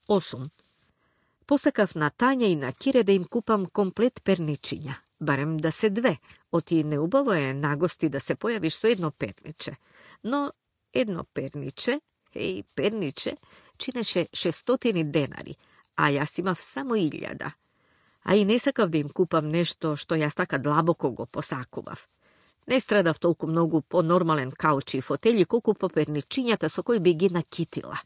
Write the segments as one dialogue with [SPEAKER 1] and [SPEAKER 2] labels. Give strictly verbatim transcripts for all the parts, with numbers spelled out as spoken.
[SPEAKER 1] осум. Посакав на Тања и на Кире да им купам комплет перничиња, барем да се две, оти неубаво е нагости да се појавиш со едно перниче. Но едно перниче, еј, перниче, чинеше шестстотини денари, а јас имав само илјада. А и не сакав да им купам нешто што јас така длабоко го посакував. Не страдав толку многу по нормален каучи и фотели, колку по перничињата со кои би ги накитила.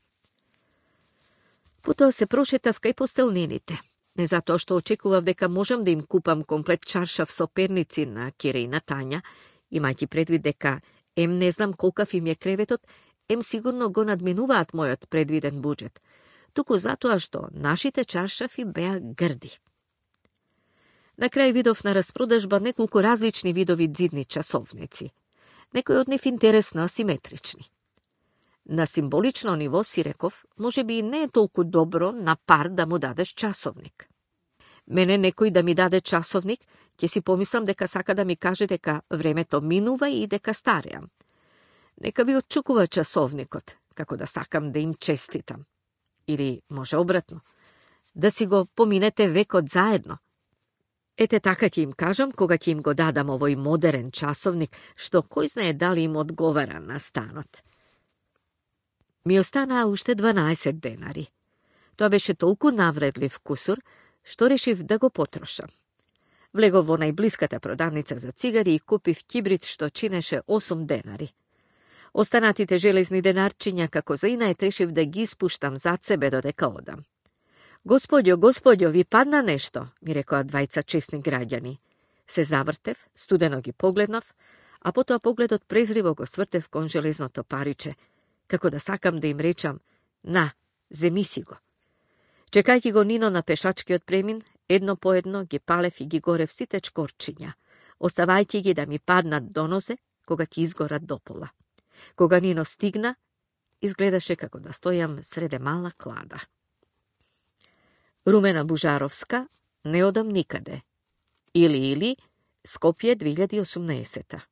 [SPEAKER 1] Потоа се прошетав кај постелнените. Не затоа што очекував дека можам да им купам комплет чаршав со перници на Кире и на Тања, имајќи предвид дека ем не знам колкав им е креветот, ем сигурно го надминуваат мојот предвиден буџет, туку затоа што нашите чаршафи беа грди. На крај видов на распродажба неколку различни видови дзидни часовници, некои од нив интересно асиметрични. На символично ниво си реков, може би не е толку добро на пар да му дадеш часовник. Мене некој да ми даде часовник, ќе си помислам дека сака да ми каже дека времето минува и дека стареам. Нека ви отчукува часовникот, како да сакам да им честитам. Или, може обратно, да си го поминете векот заедно. Ете така ќе им кажам кога ќе им го дадам овој модерен часовник, што кој знае дали им одговара на станот. Ми останаа уште дванаесет денари. Тоа беше толку навредлив кусур, што решив да го потрошам. Влегов во најблиската продавница за цигари и купив кибрид што чинеше осум денари. Останатите железни денарчиња како за инает решив да ги испуштам зад себе додека одам. Господјо, господјо, ви падна нешто, ми рекоа двајца честни граѓани. Се завртев, студено ги погледнав, а потоа погледот презриво го свртев кон железното париче, како да сакам да им речам, на, земи си го. Чекајќи го Нино на пешачкиот премин, едно по едно ги палев и ги горев сите чкорчиња, оставајќи ги да ми паднат до нозе, кога ќе изгорат до пола. Кога Нино стигна, изгледаше како да стојам среде мала клада. Румена Бужаровска, не одам никаде. Или, или, Скопје две илјади и осумнаесета.